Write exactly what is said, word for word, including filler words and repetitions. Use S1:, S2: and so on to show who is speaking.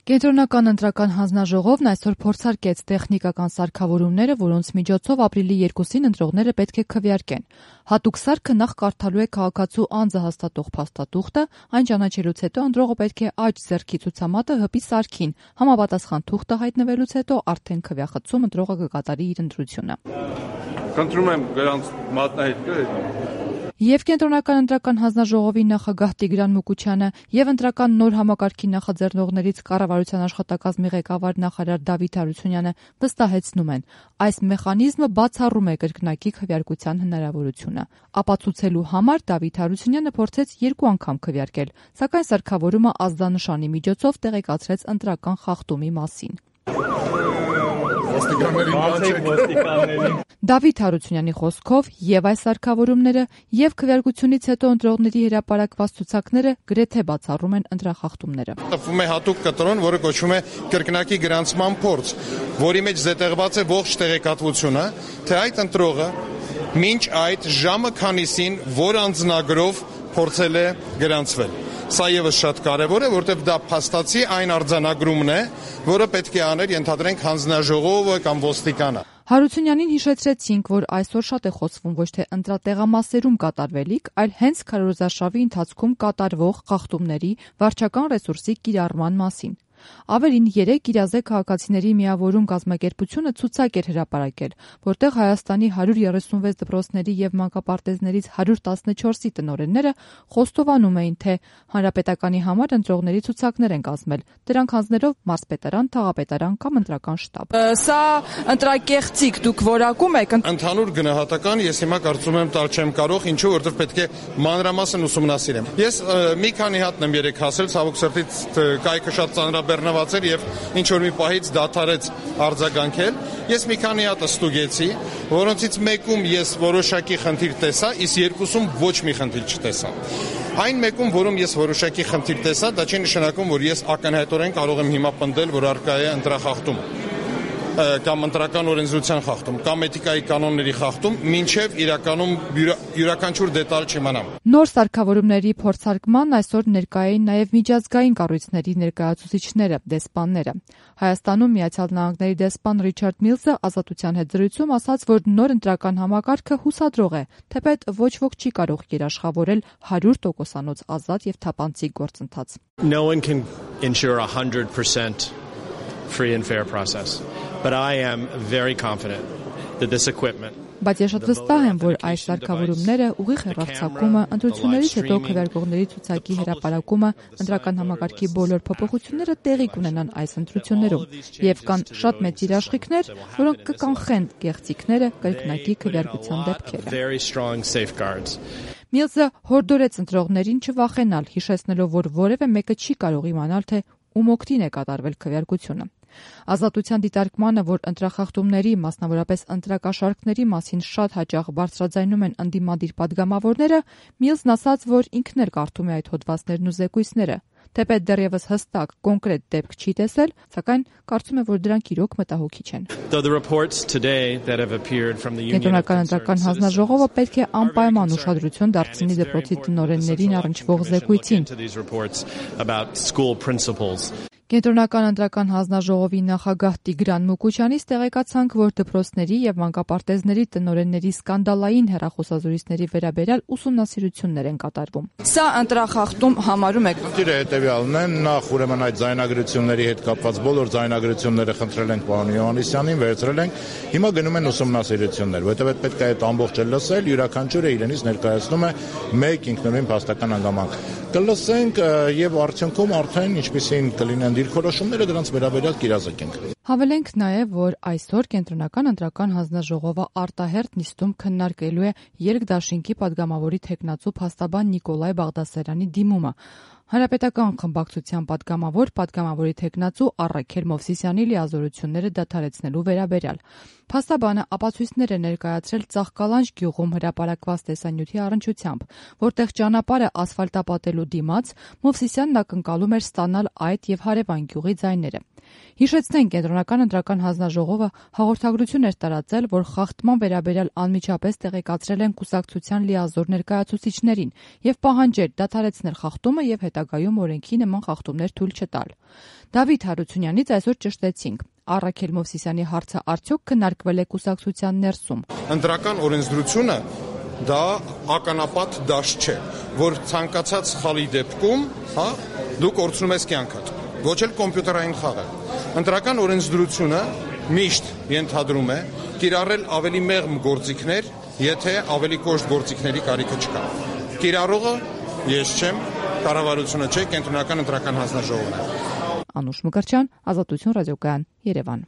S1: Կենտրոնական ընտրական հանձնաժողովն այսօր փորձարկեց տեխնիկական սարքավորումները, որոնց միջոցով ապրիլի երկուսին ընտրողները պետք է քվեարկեն։ Հատուկ սարքը նախ կարդալու է քաղաքացու անձը հաստատող փաստաթուղթը, այն ճանաչելուց հետո ընտրողը պետք է աջ ձեռքի ցուցամատը հպի սարքին, համապատասխան թուղթը հայտնվելուց հետո արդեն քվեախցում ընտրողը կկատարի իր ընտրությունը։
S2: Խնդրում եմ գրանց մատնահետքը
S1: Եվ Կենտրոնական ընտրական հանձնաժողովի նախագահ Տիգրան Մուկուչյանը եւ ընտրական նոր համակարգի նախաձեռնողներից կառավարության աշխատակազմի ղեկավար նախարար Դավիթ Հարությունյանը վստահեցնում են, այս մեխանիզմը բացառում է կրկնակի քվեարկության հնարավորությունը։ Ապացուցելու համար Դավիթ Հարությունյանը փորձեց երկու անգամ քվեարկել, սակայն սարքավորումը ազդանշանի միջոցով տեղեկացրեց ընտրական խախտումի մասին։ Դավիթ Հարությունյանի խոսքով եւ այս սարքավորումները եւ քվեարկությունից հետո ընտրողների հրապարակված ցուցակները գրեթե բացառում են ընտրախախտումները։
S3: Տպվում է հատուկ կտրոն, որը կոչվում է կրկնակի գրանցման փորձ, որի մեջ զետեղված է ողջ տեղեկատվությունը, թե այդ ընտրողը մինչ այդ ժամը քանիսին որ անձնագրով փորձել է գրանցվել։ Սա եւս շատ կարեւոր է, որտեղ դա փաստացի այն արձանագրումն է, որը պետք է աներ, ենթադրենք, հանձնաժողովը կամ ոստիկանը։
S1: Հարությունյանին հիշեցրեցինք, որ այսօր շատ է խոսվում ոչ թե ընտրատեղամասերում կատարվելիք, այլ հենց քարոզարշավի ընթացքում կատարվող խախտումների վարչական ռեսուրսի կիրառման մասին։ Ավելին երեկ իրազե քաղաքացիների միավորում կազմակերպությունը ցուցակ էր հրապարակել, որտեղ Հայաստանի հարյուր երեսունվեց դպրոցների եւ մանկապարտեզներից հարյուր տասնչորսի տնօրենները խոստովանում էին, թե հանրապետականի համար ընտրողների ցուցակներ են կազմել, դրանք հանձնելով մարզպետարան, թաղապետարան կամ ընտրական շտաբ։
S4: Սա ընտրակեղծիք դուք որակում եք։
S3: Ընդհանուր գնահատական ես հիմա կարծում եմ տալ չեմ կարող, ինչու որովհետեւ պետք է մանրամասն ուսումնասիրեմ։ Ես մի քանի հատն եմ երեք հասել, ցավոք սրտից կայքը շատ ծանրաբեռնված էր եւ ինչ որ մի պահից դադարեց արձագանքել։ Ես մի քանի հատ ստուգեցի, որոնցից մեկում ես որոշակի խնդիր տեսա, իսկ երկուսում ոչ մի խնդիր չտեսա։ Այն մեկում, որում ես որոշակի խնդիր տեսա, դա չի նշանակում, որ ես ակնհայտորեն կարող եմ հիմա պնդել, որ առկա է ընտրախախտում կամ ընտրական օրենսդրության խախտում, կամ էթիկայի կանոնների խախտում, մինչև իրականում յուրաքանչյուր դետալ չիմանամ։
S1: Նոր սարքավորումների փորձարկման այսօր ներկայ էին նաև միջազգային կառույցների ներկայացուցիչները, դեսպանները։ Հայաստանում Միացյալ Նահանգների դեսպան Ռիչարդ Միլսը Ազատության հետ զրույցում ասաց, որ նոր ընտրական համակարգը հուսադրող է, թեպետ ոչ ոք չի կարող երաշխավորել հարյուր տոկոսանոց ազատ եւ թափանցիկ գործընթաց։
S5: No one can ensure one hundred percent free and fair process. But I am very confident that this equipment
S1: Բայց ես շատ վստահ եմ, որ այս սարքավորումները, ուղիղ հեռարձակումը, ընտրություններից հետո քվեարկողների ցուցակի հրապարակումը, ընտրական համակարգի բոլոր փոփոխությունները տեղի կունենան այս ընտրություններում, եւ կան շատ մեծ երաշխիքներ, որոնք կկանխեն գեղձիկները, կրկնակի քվեարկության դեպքերը։ Միլսը հորդորեց ընտրողներին չվախենալ, հիշեցնելով, որ որևէ մեկը չի կարող իմանալ, թե ում օգտին է կատարվել քվեարկությունը։ Ազատության դիտարկմանը, որ ընտրախախտումների, մասնավորապես ընտրակաշառքների մասին շատ հաճախ բարձրաձայնում են ընդդիմադիր падգամավորները, Միլսն ասաց, որ ինքն էլ կարդում է այդ հոդվածներն ու զեկույցները, թեպետ դեռևս հստակ կոնկրետ դեպք չի տեսել, սակայն կարծում է, որ դրանք իրոք մտահոգիչ են։ Կենտրոնական ընտրական հանձնաժողովը պետք է անպայման ուշադրություն դարձնի դպրոցի տնօրեններին առնչվող զեկույցին։ Կենտրոնական ընտրական հանձնաժողովի նախագահ Տիգրան Մուկուչյանից տեղեկացանք, որ դպրոցների եւ մանկապարտեզների տնօրենների սկանդալային հեռախոսազրույցների վերաբերյալ ուսումնասիրություններ են կատարվում։
S4: Սա ընտրախախտում համարում եք։
S3: Դիրը հետեւյալն է, նախ ուրեմն այդ ձայնագրությունների հետ կապված բոլոր ձայնագրությունները խնդրել ենք պարոն Հովհաննիսյանին, վերցրել ենք։ Հիմա գնում են ուսումնասիրություններ, որովհետեւ պետք է այդ ամբողջը լսել, յուրաքանչյուրը իրենից ներկայացնում է մեկ ինքնուրույն փաստական հանգամանք։ Կլսենք եւ արդյունքում արդեն ինչպեսին կլինեն դիրքորոշումները դրանց վերաբերյալ կիրազեկենք։
S1: Հավելենք նաև, որ այսօր Կենտրոնական ընտրական հանձնաժողովը արտահերթ նիստում քննարկելու է երկդաշինքի падգամավորի թեկնածու փաստաբան Նիկոլայ Բաղդասարյանի դիմումը։ Հանրապետական խմբակցության падգամավոր, падգամավորի թեկնածու Առաքել Մովսիսյանի լիազորությունները դադարեցնելու վերաբերյալ։ Փաստաբանը ապացույցներ է ներկայացրել Ծաղկալանջ գյուղում հրապարակված տեսանյութի առնչությամբ, որտեղ ճանապարհը ասֆալտապատելու դիմաց Մովսիսյանն ակնկալում էր ստանալ այդ եւ հարևան գյուղի ձայները։ Հիշեցնենք, Կենտրոնական ընտրական հանձնաժողովը հաղորդագրություն էր տարածել, որ խախտման վերաբերյալ անմիջապես տեղեկացրել են կուսակցության լիազոր ներկայացուցիչներին եւ պահանջել դադարեցնել խախտումը եւ հետագա հետագայում օրենքի նման խախտումներ թույլ չտալ։ Դավիթ Հարությունյանից այսօր ճշտեցինք. Առաքել Մովսիսյանի հարցը արդյոք քննարկվել է կուսակցության ներսում։
S3: Ընտրական օրենսդրությունը դա ականապատ դաշտ չէ, որ ցանկացած սխալի դեպքում, հա, դու կորցնում ես կյանքդ, ոչ էլ կոմպյուտերային խաղը։ Ընտրական օրենսդրությունը միշտ ենթադրում է կիրառել ավելի մեղմ գործիքներ, եթե ավելի կոշտ գործիքների կարիքը չկա։ Կիրառողը ես չեմ, կառավարությունը չէ, կենտրոնական ընտրական հանձնաժողովն է։
S1: Անուշ Մկրտչյան, Ազատություն ռադիոկայան, Երևան։